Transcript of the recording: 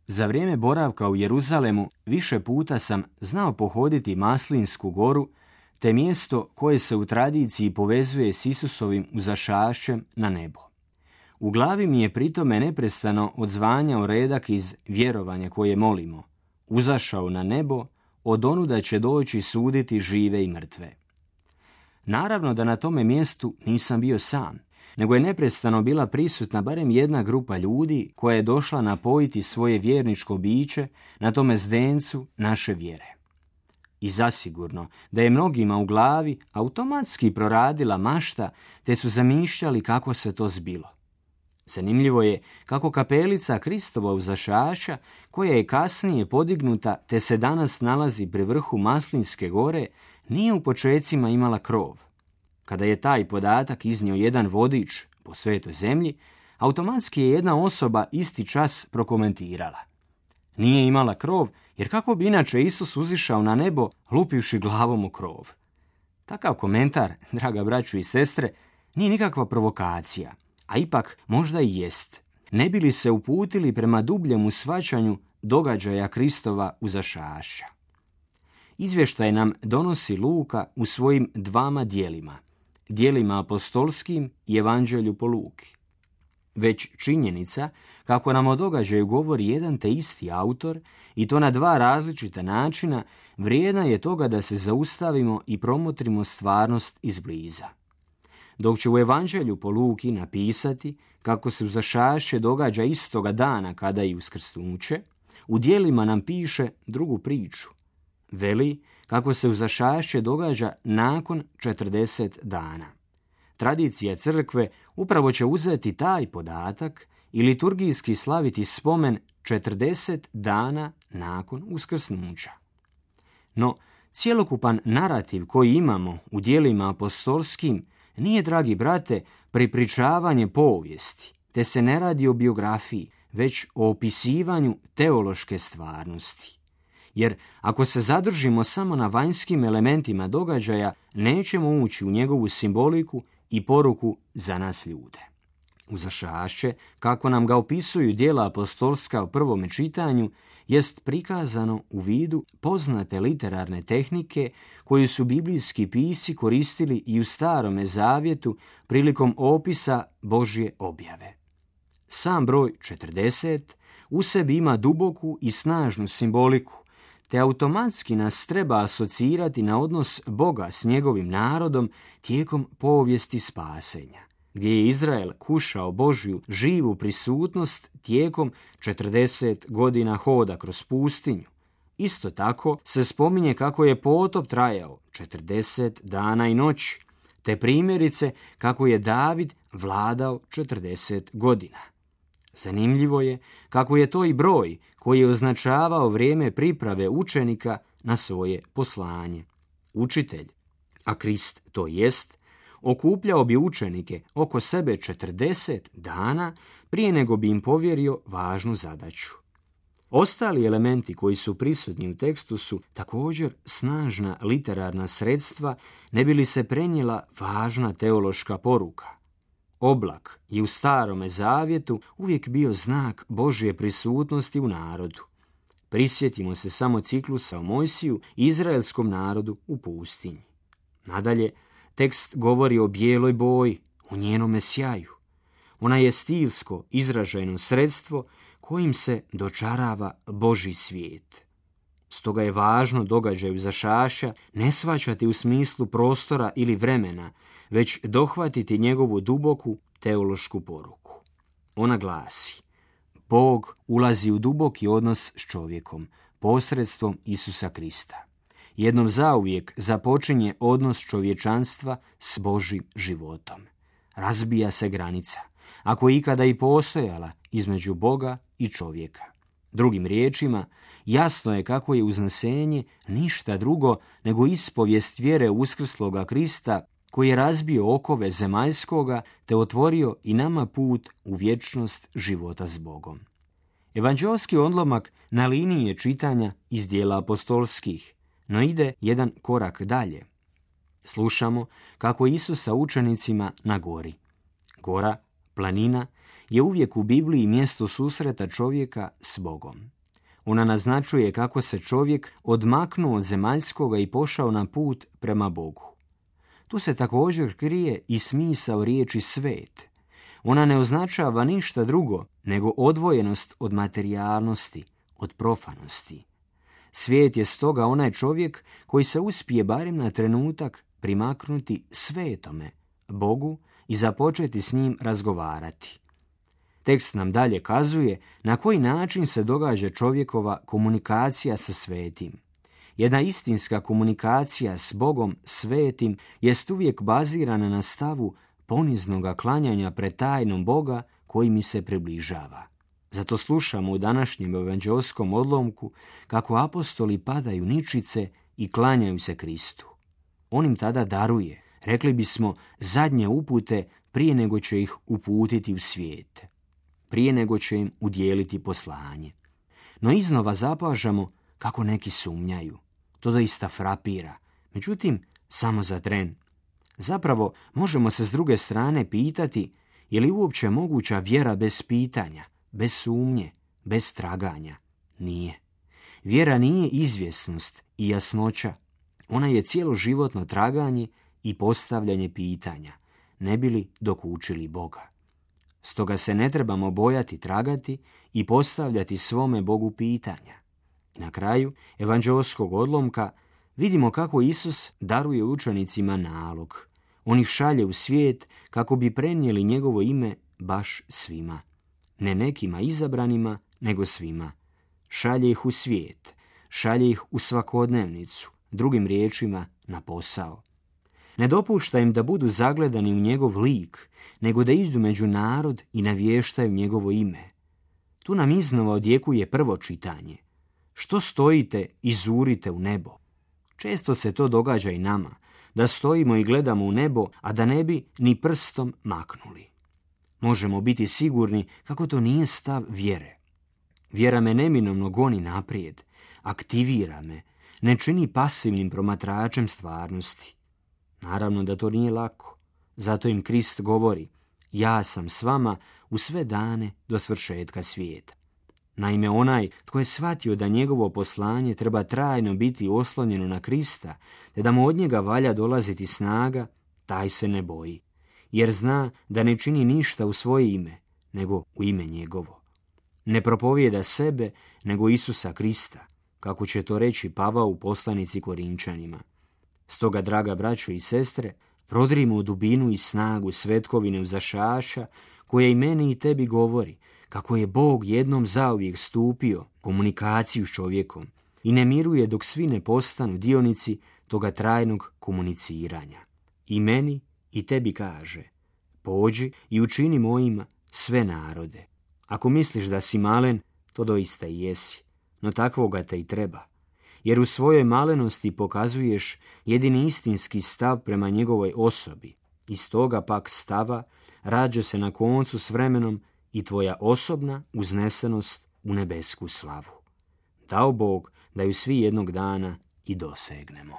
Za vrijeme boravka u Jeruzalemu više puta sam znao pohoditi Maslinsku goru, te mjesto koje se u tradiciji povezuje s Isusovim uzašašćem na nebo. U glavi mi je pritome neprestano odzvanjao redak iz vjerovanja koje molimo: uzašao na nebo, od onuda će doći suditi žive i mrtve. Naravno da na tome mjestu nisam bio sam, nego je neprestano bila prisutna barem jedna grupa ljudi koja je došla napojiti svoje vjerničko biće na tome zdencu naše vjere. I zasigurno da je mnogima u glavi automatski proradila mašta, te su zamišljali kako se to zbilo. Zanimljivo je kako kapelica Kristova uzašaša, koja je kasnije podignuta te se danas nalazi pri vrhu Maslinske gore, nije u počecima imala krov. Kada je taj podatak iznio jedan vodič po svetoj zemlji, automatski je jedna osoba isti čas prokomentirala: nije imala krov, jer kako bi inače Isus uzišao na nebo lupivši glavom u krov? Takav komentar, draga braćo i sestre, nije nikakva provokacija, a ipak možda i jest, ne bi li se uputili prema dubljemu shvaćanju događaja Kristova uzašašća. Izvještaj nam donosi Luka u svojim dvama dijelima apostolskim i Evanđelju po Luki. Već činjenica kako nam o događaju govori jedan te isti autor, i to na dva različita načina, vrijedna je toga da se zaustavimo i promotrimo stvarnost izbliza. Dok će u Evanđelju po Luki napisati kako se uzašašće događa istoga dana kada i uskrsnuće, u djelima nam piše drugu priču. Veli kako se uzašašće događa nakon 40 dana. Tradicija crkve upravo će uzeti taj podatak i liturgijski slaviti spomen 40 dana nakon uskrsnuća. No, cjelokupan narativ koji imamo u djelima apostolskim nije, dragi brate, prepričavanje povijesti, te se ne radi o biografiji, već o opisivanju teološke stvarnosti. Jer ako se zadržimo samo na vanjskim elementima događaja, nećemo ući u njegovu simboliku i poruku za nas ljude. Uzašašće, kako nam ga opisuju djela apostolska u prvome čitanju, jest prikazano u vidu poznate literarne tehnike koju su biblijski pisci koristili i u Starome zavjetu prilikom opisa Božje objave. Sam broj 40 u sebi ima duboku i snažnu simboliku, te automatski nas treba asocirati na odnos Boga s njegovim narodom tijekom povijesti spasenja, gdje je Izrael kušao Božju živu prisutnost tijekom 40 godina hoda kroz pustinju. Isto tako se spominje kako je potop trajao 40 dana i noći, te primjerice kako je David vladao 40 godina. Zanimljivo je kako je to i broj koji je označavao vrijeme priprave učenika na svoje poslanje. Učitelj, a Krist to jest, okupljao bi učenike oko sebe 40 dana prije nego bi im povjerio važnu zadaću. Ostali elementi koji su prisutni u tekstu su također snažna literarna sredstva, ne bi li se prenijela važna teološka poruka. Oblak je u Starome zavjetu uvijek bio znak Božje prisutnosti u narodu. Prisjetimo se samo ciklusa o Mojsiju i izraelskom narodu u pustinji. Nadalje, tekst govori o bijeloj boji, o njenome sjaju. Ona je stilsko izražajno sredstvo kojim se dočarava Božji svijet. Stoga je važno događaj uzašašća ne shvaćati u smislu prostora ili vremena, već dohvatiti njegovu duboku teološku poruku. Ona glasi: Bog ulazi u duboki odnos s čovjekom posredstvom Isusa Krista. Jednom zauvijek započinje odnos čovječanstva s Božjim životom. Razbija se granica, ako je ikada i postojala, između Boga i čovjeka. Drugim riječima, jasno je kako je uznesenje ništa drugo nego ispovijest vjere uskrsloga Krista, koji je razbio okove zemaljskoga te otvorio i nama put u vječnost života s Bogom. Evanđeoski odlomak na liniji je čitanja iz djela apostolskih, no ide jedan korak dalje. Slušamo kako Isus sa učenicima na gori. Gora, planina, je uvijek u Bibliji mjesto susreta čovjeka s Bogom. Ona naznačuje kako se čovjek odmaknuo od zemaljskoga i pošao na put prema Bogu. Tu se također krije i smisao riječi svet. Ona ne označava ništa drugo nego odvojenost od materijalnosti, od profanosti. Svijet je stoga onaj čovjek koji se uspije barem na trenutak primaknuti svetome, Bogu, i započeti s njim razgovarati. Tekst nam dalje kazuje na koji način se događa čovjekova komunikacija sa svetim. Jedna istinska komunikacija s Bogom svetim jest uvijek bazirana na stavu poniznoga klanjanja pred tajnom Boga koji mi se približava. Zato slušamo u današnjem evanđeoskom odlomku kako apostoli padaju ničice i klanjaju se Kristu. On im tada daruje, rekli bismo, zadnje upute prije nego će ih uputiti u svijet, prije nego će im udjeliti poslanje. No iznova zapažamo kako neki sumnjaju. To doista frapira, međutim samo za tren. Zapravo možemo se s druge strane pitati je li uopće moguća vjera bez pitanja, bez sumnje, bez traganja? Nije. Vjera nije izvjesnost i jasnoća. Ona je cjeloživotno traganje i postavljanje pitanja, ne bi li dokučili Boga. Stoga se ne trebamo bojati tragati i postavljati svome Bogu pitanja. Na kraju evanđeoskog odlomka vidimo kako Isus daruje učenicima nalog. On ih šalje u svijet kako bi prenijeli njegovo ime baš svima. Ne nekima izabranima, nego svima. Šalje ih u svijet, šalje ih u svakodnevnicu, drugim riječima na posao. Ne dopušta im da budu zagledani u njegov lik, nego da idu među narod i navještaju njegovo ime. Tu nam iznova odjekuje prvo čitanje. Što stojite i zurite u nebo? Često se to događa i nama, da stojimo i gledamo u nebo, a da ne bi ni prstom maknuli. Možemo biti sigurni kako to nije stav vjere. Vjera me neminovno goni naprijed, aktivira me, ne čini pasivnim promatračem stvarnosti. Naravno da to nije lako, zato im Krist govori, ja sam s vama u sve dane do svršetka svijeta. Naime, onaj tko je shvatio da njegovo poslanje treba trajno biti oslonjeno na Krista, te da mu od njega valja dolaziti snaga, taj se ne boji, jer zna da ne čini ništa u svoje ime, nego u ime njegovo. Ne propovijeda sebe, nego Isusa Krista, kako će to reći Pavao u poslanici Korinčanima. Stoga, draga braćo i sestre, prodrimo u dubinu i snagu svetkovine uzašaša, koja i meni i tebi govori kako je Bog jednom zauvijek stupio komunikaciju s čovjekom i ne miruje dok svi ne postanu dionici toga trajnog komuniciranja. I meni i tebi kaže, pođi i učini mojima sve narode. Ako misliš da si malen, to doista i jesi, no takvoga te i treba. Jer u svojoj malenosti pokazuješ jedini istinski stav prema njegovoj osobi. Iz toga pak stava rađa se na koncu s vremenom i tvoja osobna uznesenost u nebesku slavu. Dao Bog da ju svi jednog dana i dosegnemo.